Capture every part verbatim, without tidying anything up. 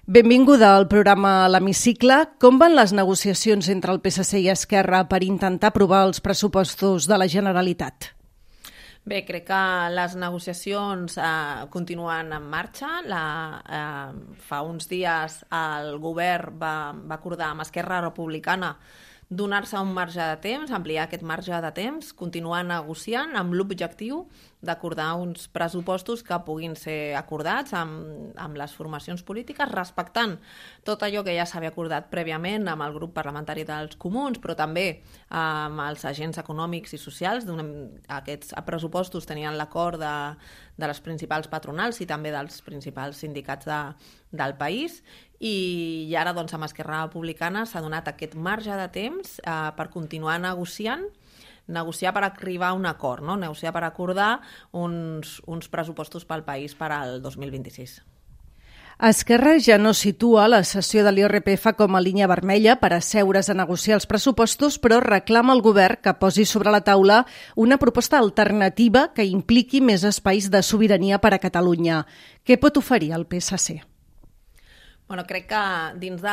Benvinguda al programa L'Hemicicle. Com van les negociacions entre el P S C i Esquerra per intentar aprovar els pressupostos de la Generalitat? Bé, crec que les negociacions eh, continuen en marxa. La, eh, fa uns dies el govern va, va acordar amb Esquerra Republicana donar-se un marge de temps, ampliar aquest marge de temps, continuar negociant amb l'objectiu d'acordar uns pressupostos que puguin ser acordats amb, amb les formacions polítiques, respectant tot allò que ja s'havia acordat prèviament amb el grup parlamentari dels Comuns, però també amb els agents econòmics i socials. Aquests pressupostos tenien l'acord de, de les principals patronals i també dels principals sindicats de, del país, i, i ara doncs, amb Esquerra Republicana s'ha donat aquest marge de temps eh, per continuar negociant negociar per arribar a un acord, no? Negociar per acordar uns, uns pressupostos pel país per al dos mil vint-i-sis. Esquerra ja no situa la cessió de l'I R P F com a línia vermella per asseure's a negociar els pressupostos, però reclama al govern que posi sobre la taula una proposta alternativa que impliqui més espais de sobirania per a Catalunya. Què pot oferir el P S C? Bueno, crec que dins de,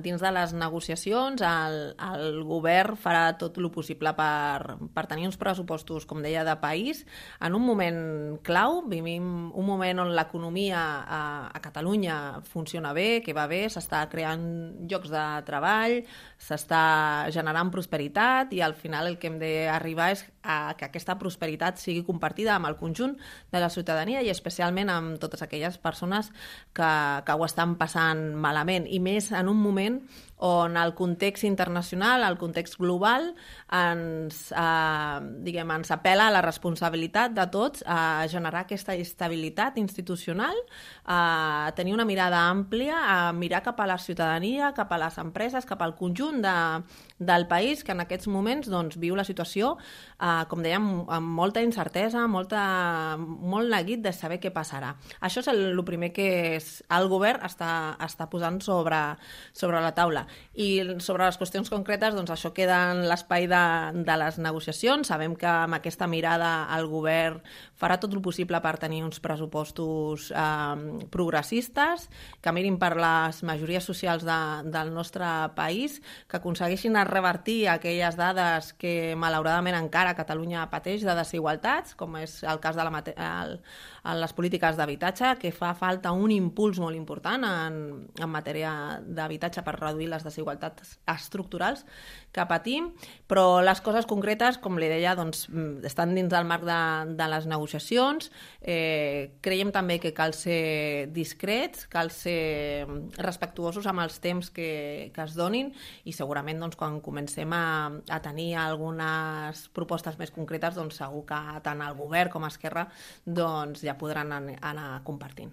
dins de les negociacions el, el govern farà tot el possible per, per tenir uns pressupostos, com deia, de país, en un moment clau. Vivim un moment on l'economia a, a Catalunya funciona bé, que va bé, s'està creant llocs de treball, s'està generant prosperitat, i al final el que hem d'arribar és a que aquesta prosperitat sigui compartida amb el conjunt de la ciutadania i especialment amb totes aquelles persones que, que ho estan passant malament, i més en un moment on el context internacional, el context global, ens, eh, diguem, ens apela a la responsabilitat de tots a generar aquesta estabilitat institucional, a tenir una mirada àmplia, a mirar cap a la ciutadania, cap a les empreses, cap al conjunt de, del país, que en aquests moments doncs, viu la situació, eh, com dèiem, amb molta incertesa, molta, molt neguit de saber què passarà. Això és el, el primer que és, el govern està, està posant sobre, sobre la taula. I sobre les qüestions concretes, doncs això queda en l'espai de, de les negociacions. Sabem que amb aquesta mirada el govern farà tot el possible per tenir uns pressupostos eh, progressistes, que mirin per les majories socials de, del nostre país, que aconsegueixin revertir aquelles dades que malauradament encara Catalunya pateix de desigualtats, com és el cas de la mate- el, en les polítiques d'habitatge, que fa falta un impuls molt important en, en matèria d'habitatge per reduir les desigualtats estructurals que patim, però les coses concretes, com li deia, doncs, estan dins del marc de, de les negociacions. Eh, creiem també que cal ser discrets, cal ser respectuosos amb els temps que, que es donin, i segurament doncs, quan comencem a, a tenir algunes propostes més concretes, doncs, segur que tant el govern com Esquerra doncs, ja podran anar compartint.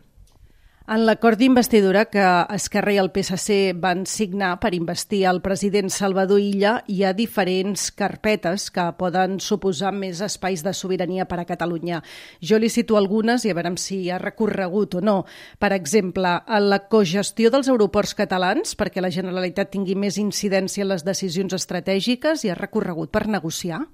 En l'acord d'investidura que Esquerra i el P S C van signar per investir el president Salvador Illa, hi ha diferents carpetes que poden suposar més espais de sobirania per a Catalunya. Jo li cito algunes i a veure si hi ha recorregut o no. Per exemple, en la cogestió dels aeroports catalans, perquè la Generalitat tingui més incidència en les decisions estratègiques, hi ha recorregut per negociar?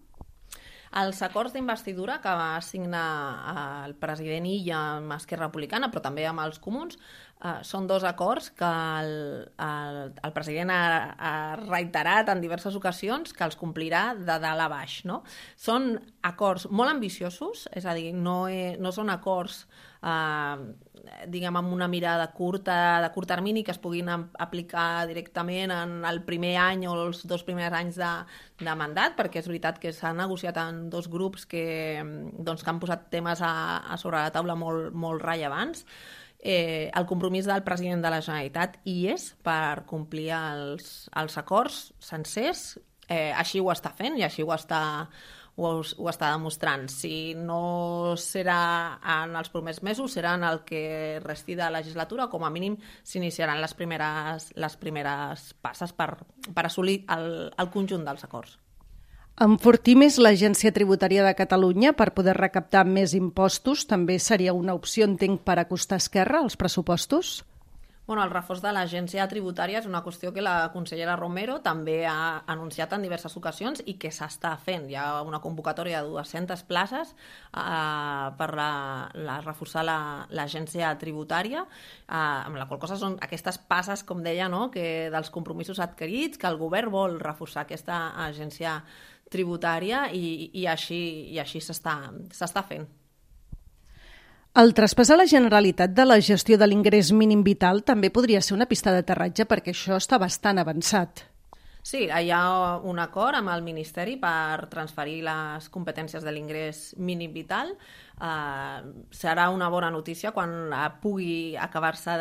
Els acords d'investidura que va signar el president Illa amb Esquerra Republicana, però també amb els Comuns, eh, són dos acords que el, el, el president ha, ha reiterat en diverses ocasions que els complirà de dalt a baix, no? Són acords molt ambiciosos, és a dir, no, he, no són acords eh, diguem, amb una mirada curta, de curt termini, que es puguin aplicar directament en el primer any o els dos primers anys de, de mandat, perquè és veritat que s'ha negociat en dos grups que, doncs, que han posat temes a, a sobre la taula molt, molt rellevants. Eh, el compromís del president de la Generalitat hi és per complir els, els acords sencers, eh, així ho està fent i així ho està Ho, ho està demostrant. Si no serà en els primers mesos, serà en el que resti de legislatura, com a mínim s'iniciaran les primeres, les primeres passes per, per assolir el, el conjunt dels acords. Enfortir més l'Agència Tributària de Catalunya per poder recaptar més impostos també seria una opció, entenc, per acostar Esquerra als pressupostos? Bueno, el reforç de l'agència tributària és una qüestió que la consellera Romero també ha anunciat en diverses ocasions i que s'està fent. Hi ha una convocatòria de dues-centes places eh, per la, la, reforçar l'agència la, tributària, eh, amb la qual cosa són aquestes passes, com deia, no? que dels compromisos adquirits, que el govern vol reforçar aquesta agència tributària i, i així, i així s'està s'està fent. El traspàs a la Generalitat de la gestió de l'ingrés mínim vital també podria ser una pista d'aterratge perquè això està bastant avançat. Sí, hi ha un acord amb el Ministeri per transferir les competències de l'ingrés mínim vital. Uh, serà una bona notícia quan pugui acabar-se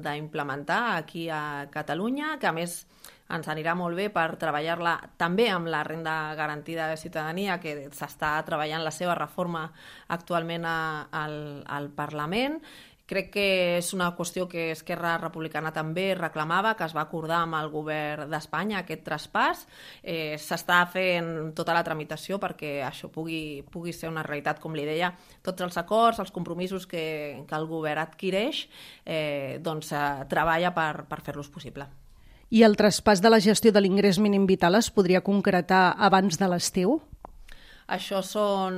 d'implementar aquí a Catalunya, que a més ens anirà molt bé per treballar-la també amb la renda garantida de ciutadania, que s'està treballant la seva reforma actualment a, al, al Parlament. Crec que és una qüestió que Esquerra Republicana també reclamava, que es va acordar amb el govern d'Espanya, aquest traspàs. Eh, s'està fent tota la tramitació perquè això pugui, pugui ser una realitat, com li deia. Tots els acords, els compromisos que, que el govern adquireix, eh, doncs eh, treballa per, per fer-los possible. I el traspàs de la gestió de l'ingrés mínim vital es podria concretar abans de l'estiu? Això són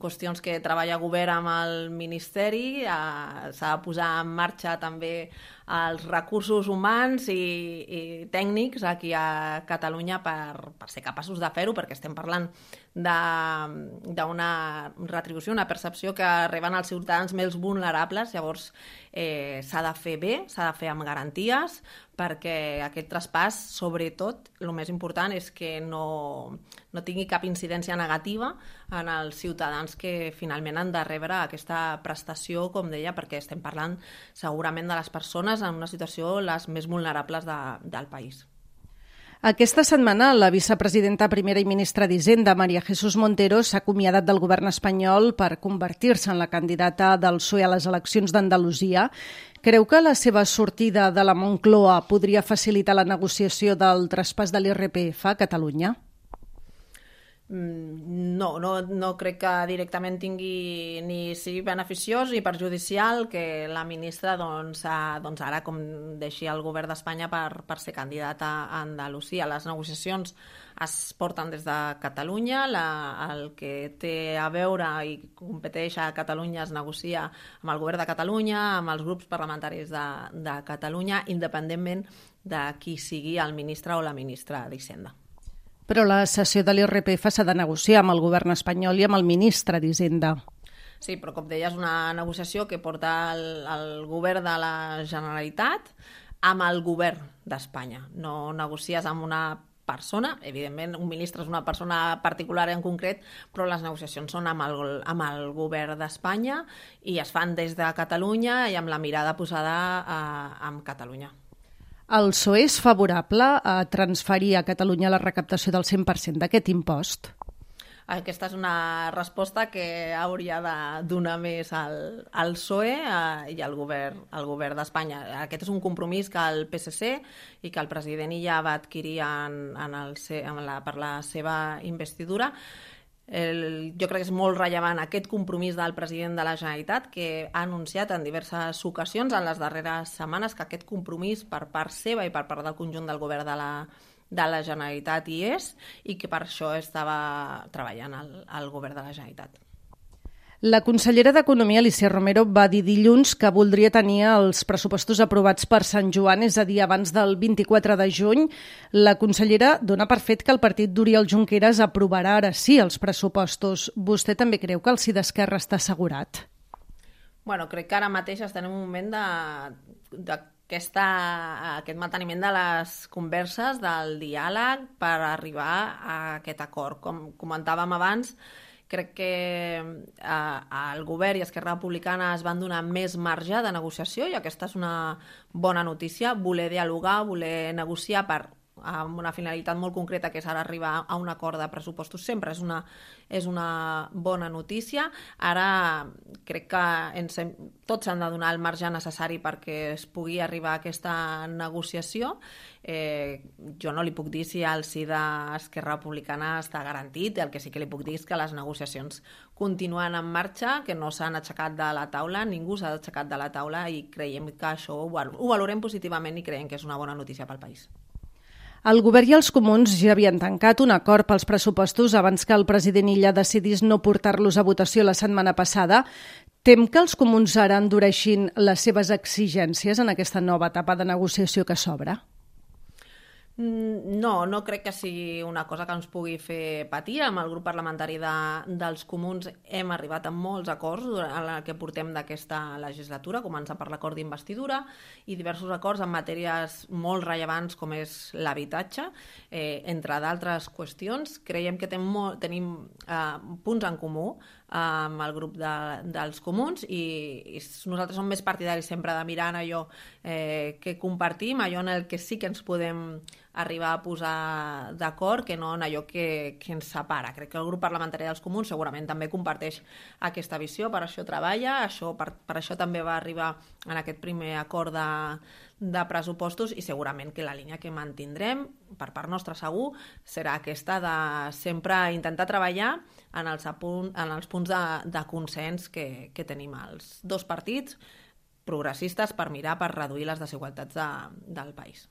qüestions que treballa el govern amb el Ministeri, eh, s'ha de posar en marxa també els recursos humans i, i tècnics aquí a Catalunya per, per ser capaços de fer-ho, perquè estem parlant d'una retribució, una percepció que reben els ciutadans més vulnerables, llavors eh, s'ha de fer bé, s'ha de fer amb garanties, perquè aquest traspàs, sobretot, el més important és que no, no tingui cap incidència negativa en els ciutadans que finalment han de rebre aquesta prestació, com deia, perquè estem parlant segurament de les persones en una situació les més vulnerables de, del país. Aquesta setmana la vicepresidenta primera i ministra d'Hisenda, María Jesús Montero, s'ha acomiadat del govern espanyol per convertir-se en la candidata del P S O E a les eleccions d'Andalusia. Creu que la seva sortida de la Moncloa podria facilitar la negociació del traspàs de l'I R P F a Catalunya? No, no, no crec que directament tingui ni sigui beneficiós ni perjudicial que la ministra doncs, a, doncs ara com deixi el govern d'Espanya per, per ser candidata a Andalusia. Les negociacions es porten des de Catalunya, la, el que té a veure i competeix a Catalunya es negocia amb el govern de Catalunya, amb els grups parlamentaris de, de Catalunya, independentment de qui sigui el ministre o la ministra d'Hisenda. Però la cessió de l'I R P F s'ha de negociar amb el govern espanyol i amb el ministre d'Hisenda. Sí, però com deia, és una negociació que porta el, el govern de la Generalitat amb el govern d'Espanya. No negocies amb una persona, evidentment un ministre és una persona particular en concret, però les negociacions són amb el, amb el govern d'Espanya i es fan des de Catalunya i amb la mirada posada eh, en Catalunya. El P S O E és favorable a transferir a Catalunya la recaptació del cent per cent d'aquest impost? Aquesta és una resposta que hauria de donar més al, al P S O E eh, i al govern, al govern d'Espanya. Aquest és un compromís que el P S C i que el president ja va adquirir en, en el, en la, per la seva investidura. El, jo crec que és molt rellevant aquest compromís del president de la Generalitat, que ha anunciat en diverses ocasions en les darreres setmanes que aquest compromís per part seva i per part del conjunt del govern de la, de la Generalitat hi és i que per això estava treballant el, el govern de la Generalitat. La consellera d'Economia, Alícia Romero, va dir dilluns que voldria tenir els pressupostos aprovats per Sant Joan, és a dir, abans del vint-i-quatre de juny. La consellera dona per fet que el partit d'Oriol Junqueras aprovarà ara sí els pressupostos. Vostè també creu que el sí d'Esquerra està assegurat? Bueno, crec que ara mateix estem en un moment de, de aquesta, aquest manteniment de les converses, del diàleg per arribar a aquest acord. Com comentàvem abans, crec que eh, el govern i Esquerra Republicana es van donar més marge de negociació i aquesta és una bona notícia, voler dialogar, voler negociar per amb una finalitat molt concreta, que és ara arribar a un acord de pressupostos. Sempre és una, és una bona notícia. Ara crec que ens hem, tots han de donar el marge necessari perquè es pugui arribar a aquesta negociació. Eh, jo no li puc dir si el sí d'Esquerra Republicana està garantit. El que sí que li puc dir és que les negociacions continuen en marxa, que no s'han aixecat de la taula, ningú s'ha aixecat de la taula, i creiem que això ho, ho valorem positivament i creiem que és una bona notícia pel país. El govern i els comuns ja havien tancat un acord pels pressupostos abans que el president Illa decidís no portar-los a votació la setmana passada. Tem que els comuns ara endureixin les seves exigències en aquesta nova etapa de negociació que s'obre? No, no crec que sigui una cosa que ens pugui fer patir. Amb el grup parlamentari de, dels comuns hem arribat a molts acords durant el que portem d'aquesta legislatura, començant per l'acord d'investidura i diversos acords en matèries molt rellevants com és l'habitatge, eh, entre d'altres qüestions. Creiem que tenim, molt, tenim eh, punts en comú amb el grup de, dels comuns, i, i nosaltres som més partidaris sempre de mirar en allò eh, que compartim, allò en el que sí que ens podem arribar a posar d'acord, que no en allò que, que ens separa. Crec que el grup parlamentari dels comuns segurament també comparteix aquesta visió, per això treballa, això, per, per això també va arribar en aquest primer acord de, de pressupostos, i segurament que la línia que mantindrem, per part nostra segur, serà aquesta de sempre intentar treballar en els, apunt, en els punts de, de consens que, que tenim els dos partits progressistes per mirar per reduir les desigualtats de, del país.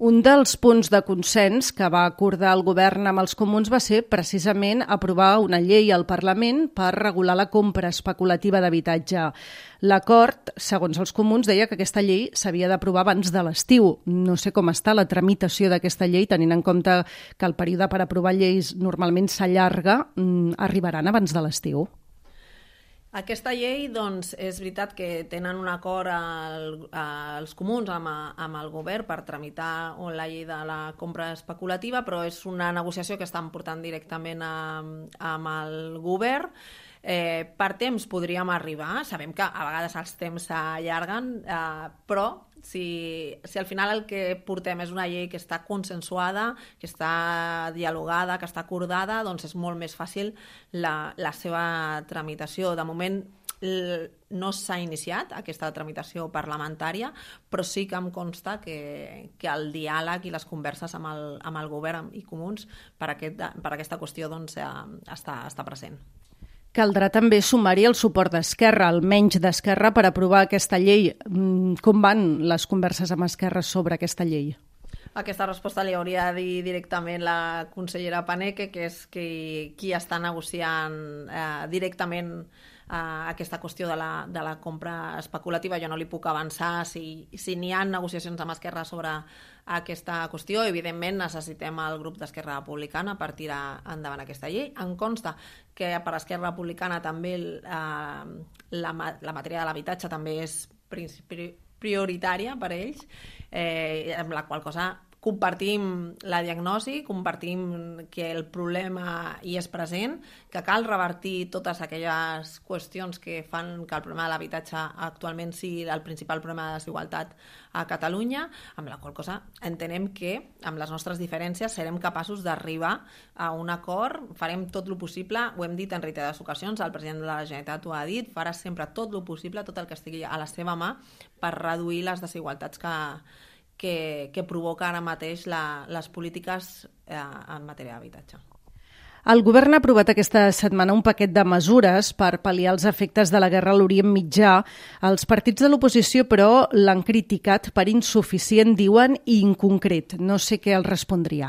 Un dels punts de consens que va acordar el govern amb els comuns va ser precisament aprovar una llei al Parlament per regular la compra especulativa d'habitatge. L'acord, segons els comuns, deia que aquesta llei s'havia d'aprovar abans de l'estiu. No sé com està la tramitació d'aquesta llei, tenint en compte que el període per aprovar lleis normalment s'allarga. Arribaran abans de l'estiu? Aquesta llei, doncs, és veritat que tenen un acord al, als comuns amb, amb el govern per tramitar la llei de la compra especulativa, però és una negociació que estan portant directament amb, amb el govern. Eh, per temps podríem arribar, sabem que a vegades els temps s'allarguen, eh, però si, si al final el que portem és una llei que està consensuada, que està dialogada, que està acordada, doncs és molt més fàcil la, la seva tramitació. De moment no s'ha iniciat aquesta tramitació parlamentària, però sí que em consta que, que el diàleg i les converses amb el, amb el govern i comuns per, aquest, per aquesta qüestió doncs, està, està present. Caldrà també sumar-hi el suport d'Esquerra, almenys d'Esquerra, per aprovar aquesta llei. Com van les converses amb Esquerra sobre aquesta llei? Aquesta resposta li hauria de dir directament la consellera Paneque, que és qui, qui està negociant eh, directament eh, aquesta qüestió de la, de la compra especulativa. Jo no li puc avançar si, si n'hi ha negociacions amb Esquerra sobre aquesta qüestió. Evidentment necessitem el grup d'Esquerra Republicana per tirar endavant aquesta llei. Em consta que per Esquerra Republicana també eh, la, la matèria de l'habitatge també és prioritària per ells, eh, amb la qual cosa compartim la diagnosi, compartim que el problema hi és present, que cal revertir totes aquelles qüestions que fan que el problema de l'habitatge actualment sigui el principal problema de desigualtat a Catalunya, amb la qual cosa entenem que amb les nostres diferències serem capaços d'arribar a un acord, farem tot el possible, ho hem dit en reiterades ocasions, el president de la Generalitat ho ha dit, farà sempre tot el possible, tot el que estigui a la seva mà per reduir les desigualtats que Que, que provoca ara mateix la, les polítiques eh, en matèria d'habitatge. El govern ha aprovat aquesta setmana un paquet de mesures per pal·liar els efectes de la guerra a l'Orient Mitjà. Els partits de l'oposició, però, l'han criticat per insuficient, diuen, i inconcret. No sé què els respondria.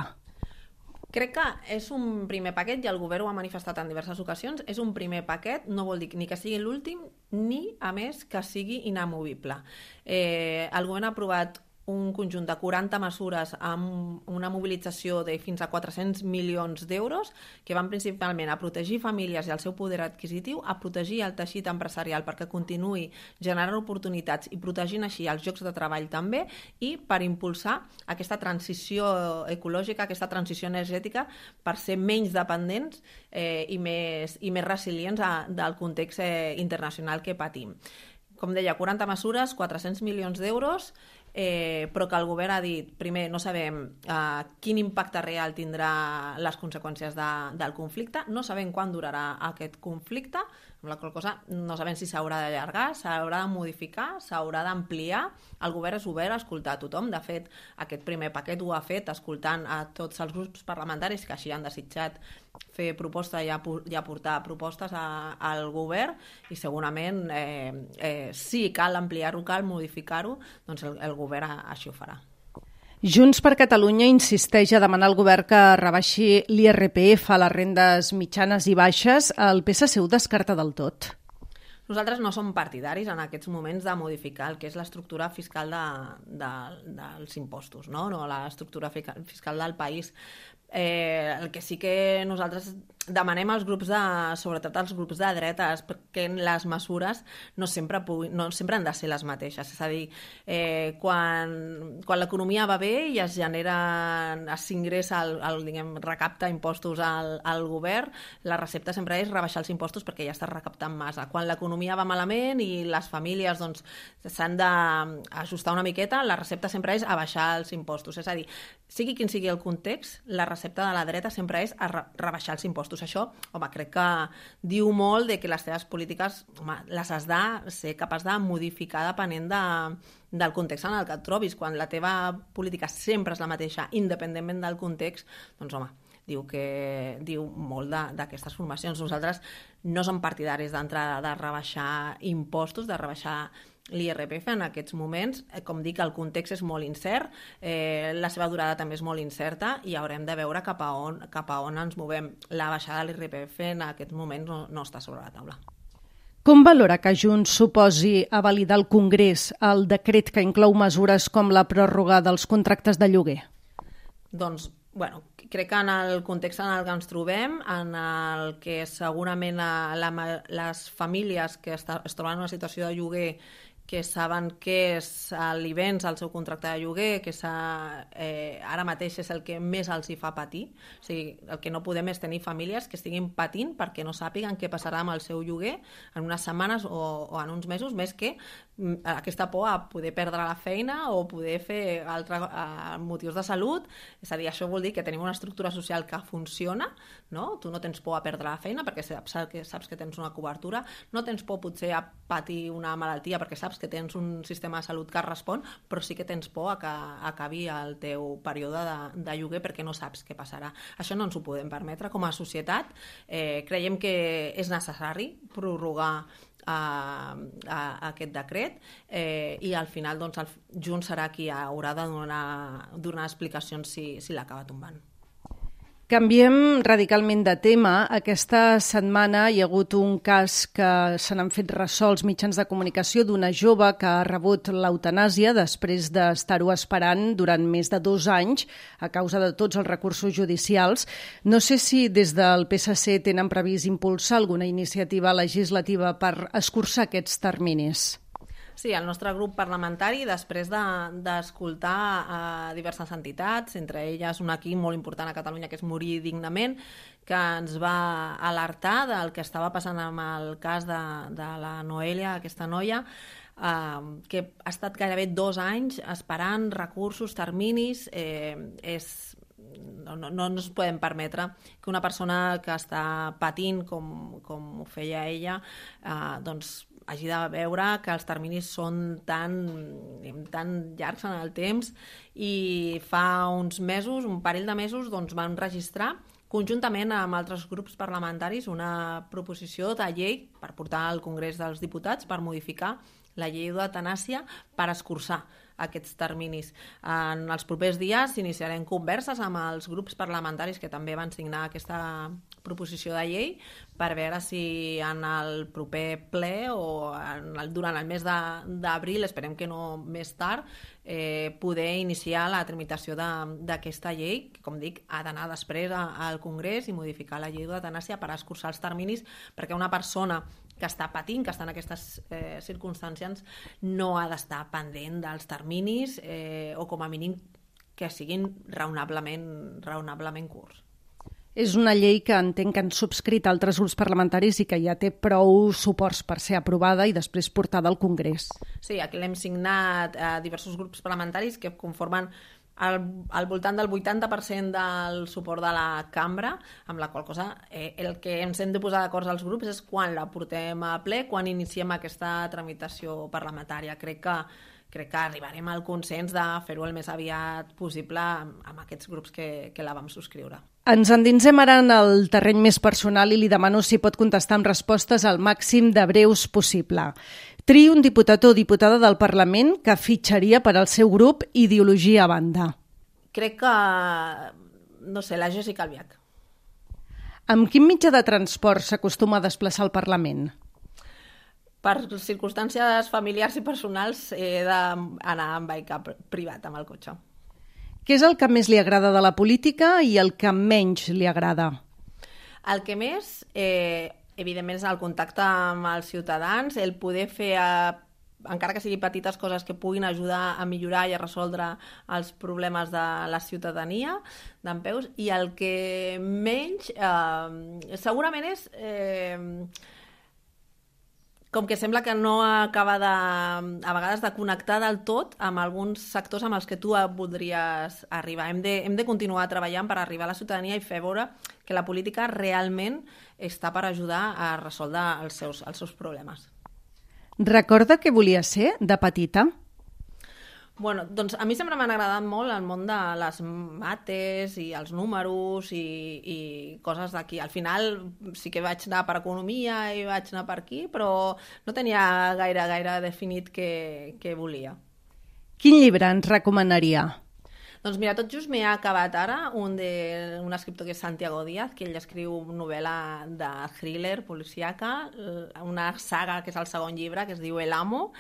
Crec que és un primer paquet, i el govern ho ha manifestat en diverses ocasions, és un primer paquet, no vol dir ni que sigui l'últim, ni, a més, que sigui inamovible. Eh, el govern ha aprovat un conjunt de quaranta mesures amb una mobilització de fins a quatre-cents milions d'euros que van principalment a protegir famílies i el seu poder adquisitiu, a protegir el teixit empresarial perquè continuï generant oportunitats i protegint així els llocs de treball també, i per impulsar aquesta transició ecològica, aquesta transició energètica per ser menys dependents eh, i, més, i més resilients a, del context eh, internacional que patim. Com deia, quaranta mesures, quatre-cents milions d'euros, eh, però que el govern ha dit, primer, no sabem eh, quin impacte real tindrà les conseqüències de, del conflicte, no sabem quan durarà aquest conflicte, amb la qual cosa no sabem si s'haurà d'allargar, s'haurà de modificar, s'haurà d'ampliar. El govern és obert a escoltar a tothom. De fet, aquest primer paquet ho ha fet escoltant a tots els grups parlamentaris que així han desitjat fer proposta i aportar propostes a, al govern, i segurament eh, eh, si cal ampliar-ho, cal modificar-ho, doncs el, el govern així ho farà. Junts per Catalunya insisteix a demanar al govern que rebaixi l'I R P F a les rendes mitjanes i baixes. El P S C ho descarta del tot. Nosaltres no som partidaris en aquests moments de modificar el que és l'estructura fiscal de, de, dels impostos, no? No, l'estructura fiscal del país. Eh, el que sí que nosaltres demanem als grups de, sobretot als grups de dretes, perquè les mesures no sempre, puguin, no sempre han de ser les mateixes. És a dir, eh, quan, quan l'economia va bé i es genera, s'ingressa, el, el, diguem, recapta impostos al, al govern, la recepta sempre és rebaixar els impostos perquè ja està recaptant massa. Quan l'economia va malament i les famílies doncs, s'han d'ajustar una miqueta, la recepta sempre és abaixar els impostos. És a dir, sigui quin sigui el context, la recepta de la dreta sempre és a re rebaixar els impostos. Això, home, crec que diu molt de que les teves polítiques, home, les has de ser capaç de modificar depenent de, del context en el que et trobis. Quan la teva política sempre és la mateixa, independentment del context, doncs, home, diu, que, diu molt d'aquestes formacions. Nosaltres no som partidaris d'entrada de rebaixar impostos, de rebaixar l'I R P F en aquests moments. Com dic, el context és molt incert, eh, la seva durada també és molt incerta i haurem de veure cap a on, cap a on ens movem. La baixada de l'I R P F en aquests moments no, no està sobre la taula. Com valora que Junts suposi a validar al Congrés el decret que inclou mesures com la pròrroga dels contractes de lloguer? Doncs, bueno, crec que en el context en el que ens trobem, en el que segurament la, les famílies que està, es troben en una situació de lloguer que saben que és l'I V E N S, el seu contracte de lloguer, que eh, ara mateix és el que més els hi fa patir. O sigui, el que no podem és tenir famílies que estiguin patint perquè no sàpiguen què passarà amb el seu lloguer en unes setmanes o, o en uns mesos, més que aquesta por a poder perdre la feina o poder fer altres uh, motius de salut. És a dir, això vol dir que tenim una estructura social que funciona, no? Tu no tens por a perdre la feina perquè saps que, saps que tens una cobertura, no tens por potser a patir una malaltia perquè saps que tens un sistema de salut que respon, però sí que tens por a que acabi el teu període de, de lloguer perquè no saps què passarà. Això no ens ho podem permetre com a societat. Eh, creiem que és necessari prorrogar A, a, a aquest decret eh, i al final doncs, el Junts serà qui haurà de donar, donar explicacions si, si l'acaba tombant. Canviem radicalment de tema. Aquesta setmana hi ha hagut un cas que se n'han fet ressò als mitjans de comunicació d'una jove que ha rebut l'eutanàsia després d'estar-ho esperant durant més de dos anys a causa de tots els recursos judicials. No sé si des del P S C tenen previst impulsar alguna iniciativa legislativa per escurçar aquests terminis. Sí, el nostre grup parlamentari, després d'escoltar de, a diverses entitats, entre elles un equip molt important a Catalunya que és Morir Dignament, que ens va alertar del que estava passant amb el cas de, de la Noelia, aquesta noia, eh, que ha estat gairebé dos anys esperant recursos, terminis, eh, és... No, no, no ens podem permetre que una persona que està patint com, com ho feia ella eh, doncs hagi de veure que els terminis són tan, tan llargs en el temps, i fa uns mesos, un parell de mesos, doncs van registrar conjuntament amb altres grups parlamentaris una proposició de llei per portar al Congrés dels Diputats per modificar la llei d'eutanàsia per escurçar aquests terminis. En els propers dies iniciarem converses amb els grups parlamentaris que també van signar aquesta proposició de llei per veure si en el proper ple o en el, durant el mes d'abril, esperem que no més tard, eh, poder iniciar la tramitació d'aquesta llei, que com dic ha d'anar després a, al Congrés i modificar la llei d'eutanàsia per escurçar els terminis, perquè una persona que està patint, que està en aquestes eh, circumstàncies, no ha d'estar pendent dels terminis eh, o com a mínim que siguin raonablement, raonablement curts. És una llei que entenc que han subscrit altres grups parlamentaris i que ja té prou suports per ser aprovada i després portada al Congrés. Sí, aquí l'hem signat a diversos grups parlamentaris que conformen al, al voltant del vuitanta per cent del suport de la cambra, amb la qual cosa eh, el que ens hem de posar d'acord als grups és quan la portem a ple, quan iniciem aquesta tramitació parlamentària. Crec que crec que arribarem al consens de fer-ho el més aviat possible amb, amb aquests grups que, que la vam subscriure. Ens endinsem ara en el terreny més personal i li demano si pot contestar amb respostes al màxim de breus possible. Triï un diputat o diputada del Parlament que fitxaria per al seu grup ideologia a banda. Crec que, no sé, la Jessica Albiach. Amb quin mitjà de transport s'acostuma a desplaçar al Parlament? Per circumstàncies familiars i personals he d'anar amb vehicle privat, amb el cotxe. Què és el que més li agrada de la política i el que menys li agrada? El que més, eh, evidentment, és el contacte amb els ciutadans, el poder fer, eh, encara que sigui petites coses que puguin ajudar a millorar i a resoldre els problemes de la ciutadania dempeus, i el que menys eh, segurament és... Eh, com que sembla que no acaba de, a vegades de connectar del tot amb alguns sectors amb els que tu voldries arribar. Hem de, hem de continuar treballant per arribar a la ciutadania i fer veure que la política realment està per ajudar a resoldre els seus, els seus problemes. Recorda què volia ser de petita? Bueno, doncs a mi sempre m'han agradat molt el món de les mates i els números i, i coses d'aquí. Al final sí que vaig anar per economia i vaig anar per aquí, però no tenia gaire, gaire definit què, què volia. Quin llibre ens recomanaria? Doncs mira, tot just m'he acabat ara un, de, un escriptor que és Santiago Díaz, que ell escriu novel·la de thriller policíaca, una saga que és el segon llibre, que es diu El Amo,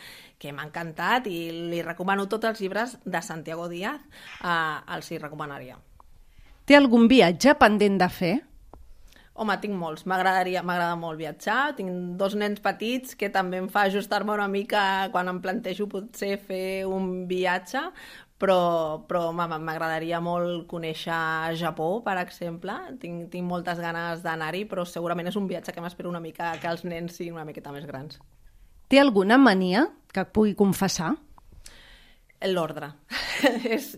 que m'ha encantat i li recomano tots els llibres de Santiago Díaz, eh, els hi recomanaria. Té algun viatge pendent de fer? Home, tinc molts. M'agradaria, m'agrada molt viatjar. Tinc dos nens petits que també em fa ajustar-me una mica quan em plantejo potser fer un viatge, però, però m'agradaria molt conèixer Japó, per exemple. Tinc, tinc moltes ganes d'anar-hi, però segurament és un viatge que m'espero una mica que els nens siguin una miqueta més grans. Té alguna mania que pugui confessar? L'ordre.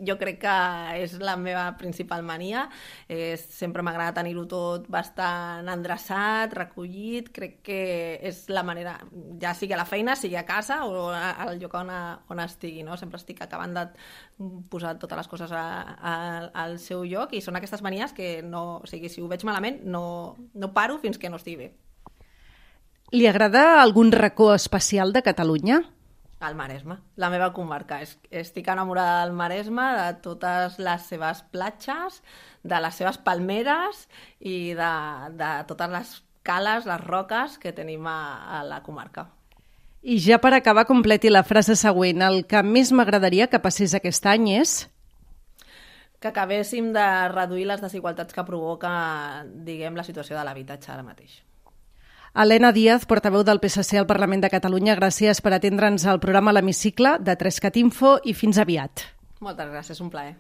Jo crec que és la meva principal mania. Eh, sempre m'agrada tenir-ho tot bastant endreçat, recollit. Crec que és la manera, ja sigui a la feina, sigui a casa o al lloc on, on estigui, no? Sempre estic acabant de posar totes les coses a, a, al seu lloc i són aquestes manies que no, o sigui, si ho veig malament no, no paro fins que no estigui bé. Li agrada algun racó especial de Catalunya? Al Maresme, la meva comarca. Estic enamorada del Maresme, de totes les seves platges, de les seves palmeres i de, de totes les cales, les roques que tenim a, a la comarca. I ja per acabar, completi la frase següent. El que més m'agradaria que passés aquest any és... Que acabéssim de reduir les desigualtats que provoca, diguem, la situació de l'habitatge ara mateix. Elena Díaz, portaveu del P S C al Parlament de Catalunya, gràcies per atendre'ns al programa L'Hemicicle de Trescat Info i fins aviat. Moltes gràcies, un plaer.